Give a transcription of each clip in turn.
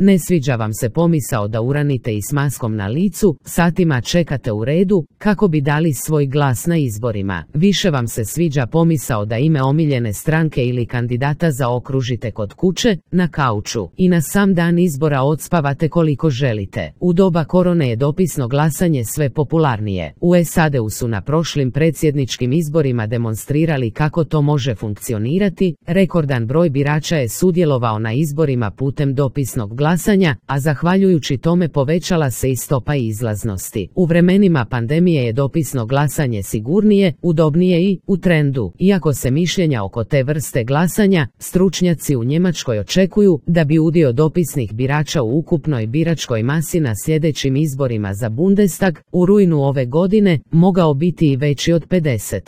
Ne sviđa vam se pomisao da uranite i s maskom na licu, satima čekate u redu, kako bi dali svoj glas na izborima. Više vam se sviđa pomisao da ime omiljene stranke ili kandidata zaokružite kod kuće, na kauču i na sam dan izbora odspavate koliko želite. U doba korone je dopisno glasanje sve popularnije. U SAD-u su na prošlim predsjedničkim izborima demonstrirali kako to može funkcionirati. Rekordan broj birača je sudjelovao na izborima putem dopisnog glasanja, a zahvaljujući tome povećala se i stopa izlaznosti. U vremenima pandemije je dopisno glasanje sigurnije, udobnije i u trendu. Iako se mišljenja oko te vrste glasanja, stručnjaci u Njemačkoj očekuju da bi udio dopisnih birača u ukupnoj biračkoj masi na sljedećim izborima za Bundestag u rujnu ove godine mogao biti i veći od 50%.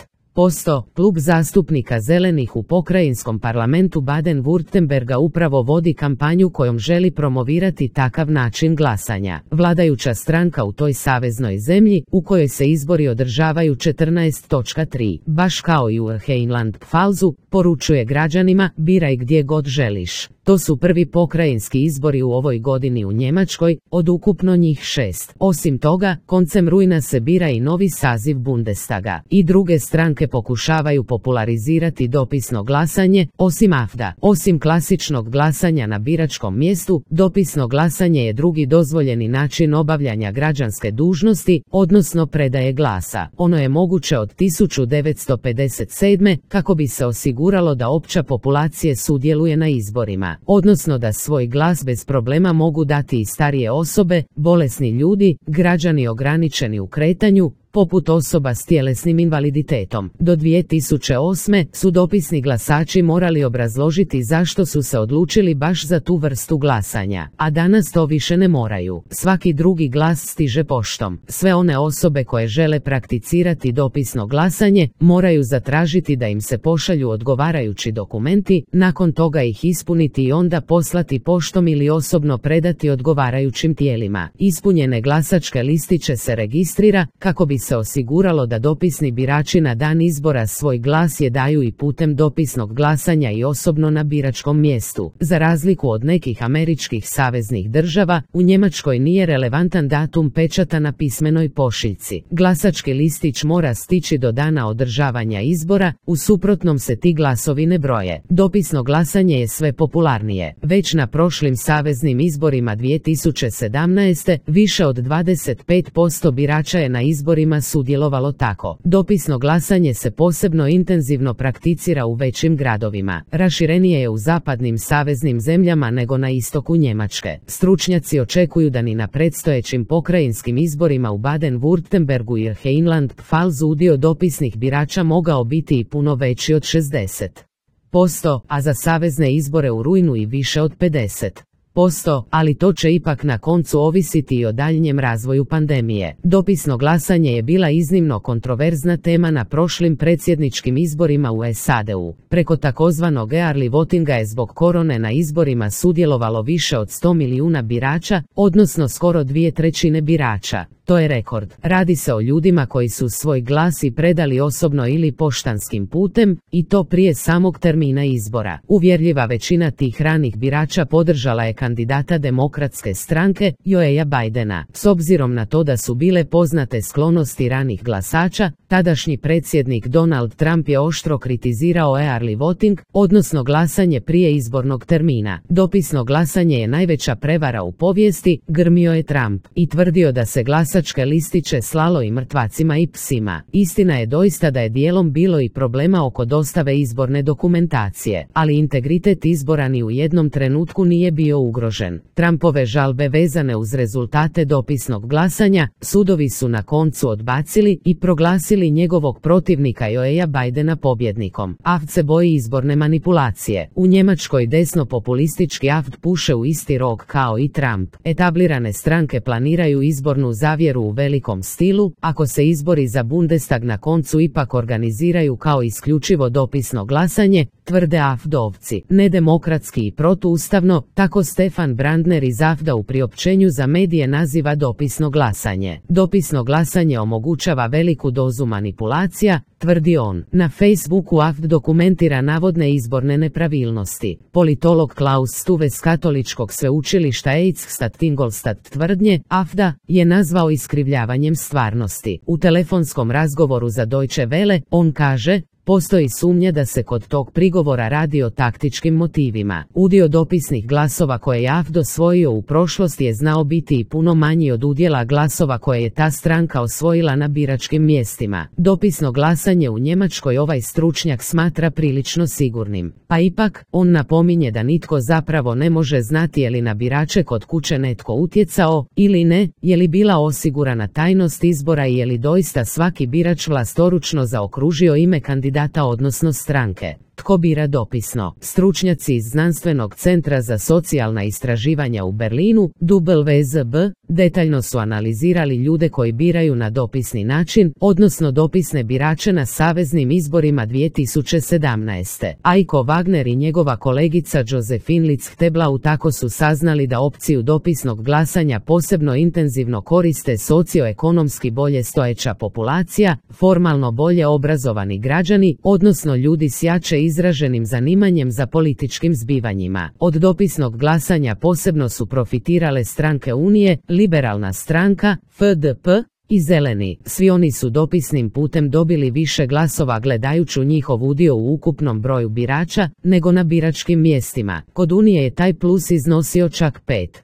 Klub zastupnika Zelenih u pokrajinskom parlamentu Baden-Württemberga upravo vodi kampanju kojom želi promovirati takav način glasanja. Vladajuća stranka u toj saveznoj zemlji, u kojoj se izbori održavaju 14.3, baš kao i u Rheinland-Pfalzu, poručuje građanima: biraj gdje god želiš. To su prvi pokrajinski izbori u ovoj godini u Njemačkoj, od ukupno njih 6. Osim toga, koncem rujna se bira i novi saziv Bundestaga. I druge stranke pokušavaju popularizirati dopisno glasanje, osim AfD-a. Osim klasičnog glasanja na biračkom mjestu, dopisno glasanje je drugi dozvoljeni način obavljanja građanske dužnosti, odnosno predaje glasa. Ono je moguće od 1957. kako bi se osiguralo da opća populacije sudjeluje na izborima, odnosno da svoj glas bez problema mogu dati i starije osobe, bolesni ljudi, građani ograničeni u kretanju, poput osoba s tjelesnim invaliditetom. Do 2008. su dopisni glasači morali obrazložiti zašto su se odlučili baš za tu vrstu glasanja, a danas to više ne moraju. Svaki drugi glas stiže poštom. Sve one osobe koje žele prakticirati dopisno glasanje moraju zatražiti da im se pošalju odgovarajući dokumenti, nakon toga ih ispuniti i onda poslati poštom ili osobno predati odgovarajućim tijelima. Ispunjene glasačke listiće se registrira kako bi se osiguralo da dopisni birači na dan izbora svoj glas daju i putem dopisnog glasanja i osobno na biračkom mjestu. Za razliku od nekih američkih saveznih država, u Njemačkoj nije relevantan datum pečata na pismenoj pošiljci. Glasački listić mora stići do dana održavanja izbora, u suprotnom se ti glasovi ne broje. Dopisno glasanje je sve popularnije. Već na prošlim saveznim izborima 2017. više od 25% birača je na izborima sudjelovalo tako. Dopisno glasanje se posebno intenzivno prakticira u većim gradovima. Raširenije je u zapadnim saveznim zemljama nego na istoku Njemačke. Stručnjaci očekuju da ni na predstojećim pokrajinskim izborima u Baden-Württembergu i Rheinland-Pfalzu udio dopisnih birača mogao biti i puno veći od 60%, a za savezne izbore u rujnu i više od 50%. Ali to će ipak na koncu ovisiti i o daljnjem razvoju pandemije. Dopisno glasanje je bila iznimno kontroverzna tema na prošlim predsjedničkim izborima u SAD-u. Preko takozvanog early votinga je zbog korone na izborima sudjelovalo više od 100 milijuna birača, odnosno skoro 2/3 birača. To je rekord. Radi se o ljudima koji su svoj glas i predali osobno ili poštanskim putem, i to prije samog termina izbora. Uvjerljiva većina tih ranih birača podržala je kandidata demokratske stranke, Joea Bidena. S obzirom na to da su bile poznate sklonosti ranih glasača, tadašnji predsjednik Donald Trump je oštro kritizirao early voting, odnosno glasanje prije izbornog termina. Dopisno glasanje je najveća prevara u povijesti, grmio je Trump, i tvrdio da se glasačke listiće slalo i mrtvacima i psima. Istina je doista da je dijelom bilo i problema oko dostave izborne dokumentacije, ali integritet izbora ni u jednom trenutku nije bio ugrožen. Trumpove žalbe vezane uz rezultate dopisnog glasanja, sudovi su na koncu odbacili i proglasili njegovog protivnika Joea Bidena pobjednikom. AfD se boji izborne manipulacije. U Njemačkoj desno-populistički AfD puše u isti rog kao i Trump. Etablirane stranke planiraju izbornu zavjeru pronevjeru u velikom stilu, ako se izbori za Bundestag na koncu ipak organiziraju kao isključivo dopisno glasanje, tvrde AfD-ovci. Nedemokratski i protuustavno, tako Stefan Brandner iz AfD-a u priopćenju za medije naziva dopisno glasanje. Dopisno glasanje omogućava veliku dozu manipulacija, tvrdi on. Na Facebooku AfD dokumentira navodne izborne nepravilnosti. Politolog Klaus Stuve s katoličkog sveučilišta Eichstatt Ingolstadt tvrdnje AfD-a je nazvao iskrivljavanjem stvarnosti. U telefonskom razgovoru za Deutsche Welle on kaže: postoji sumnja da se kod tog prigovora radi o taktičkim motivima. Udio dopisnih glasova koje je AfD osvojio u prošlosti je znao biti i puno manji od udjela glasova koje je ta stranka osvojila na biračkim mjestima. Dopisno glasanje u Njemačkoj ovaj stručnjak smatra prilično sigurnim. Pa ipak, on napominje da nitko zapravo ne može znati je li na birače kod kuće netko utjecao ili ne, je li bila osigurana tajnost izbora i je li doista svaki birač vlastoručno zaokružio ime kandidata odnosno stranke. Tko bira dopisno? Stručnjaci iz Znanstvenog centra za socijalna istraživanja u Berlinu, WZB, detaljno su analizirali ljude koji biraju na dopisni način, odnosno dopisne birače na saveznim izborima 2017. Aiko Wagner i njegova kolegica Josephine Litz-Hteblau tako su saznali da opciju dopisnog glasanja posebno intenzivno koriste socioekonomski bolje stojeća populacija, formalno bolje obrazovani građani, odnosno ljudi s jače izraženim zanimanjem za političkim zbivanjima. Od dopisnog glasanja posebno su profitirale stranke Unije, Liberalna stranka, FDP i Zeleni. Svi oni su dopisnim putem dobili više glasova gledajući njihov udio u ukupnom broju birača nego na biračkim mjestima. Kod Unije je taj plus iznosio čak 5%.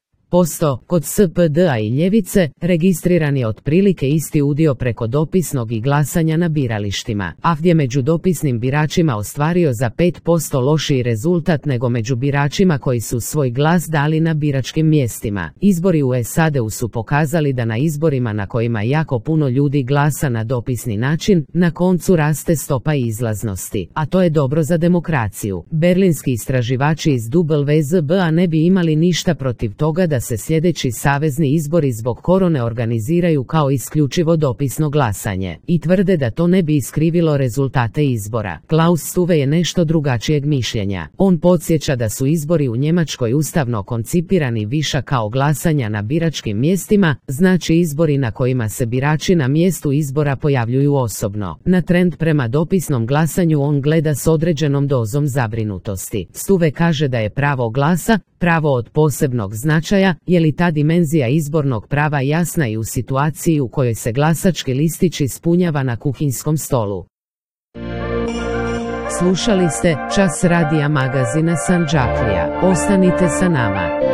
Kod SPD-a i Ljevice registriran je otprilike isti udio preko dopisnog i glasanja na biralištima. AfD je među dopisnim biračima ostvario za 5% lošiji rezultat nego među biračima koji su svoj glas dali na biračkim mjestima. Izbori u SAD-u su pokazali da na izborima na kojima jako puno ljudi glasa na dopisni način, na koncu raste stopa izlaznosti. A to je dobro za demokraciju. Berlinski istraživači iz WZB-a ne bi imali ništa protiv toga da se sljedeći savezni izbori zbog korone organiziraju kao isključivo dopisno glasanje i tvrde da to ne bi iskrivilo rezultate izbora. Klaus Stuve je nešto drugačijeg mišljenja. On podsjeća da su izbori u Njemačkoj ustavno koncipirani više kao glasanja na biračkim mjestima, znači izbori na kojima se birači na mjestu izbora pojavljuju osobno. Na trend prema dopisnom glasanju on gleda s određenom dozom zabrinutosti. Stuve kaže da je pravo glasa pravo od posebnog značaja, je li ta dimenzija izbornog prava jasna i u situaciji u kojoj se glasački listić ispunjava na kuhinskom stolu. Slušali ste Čas radija magazina Sandžaklija. Ostanite sa nama.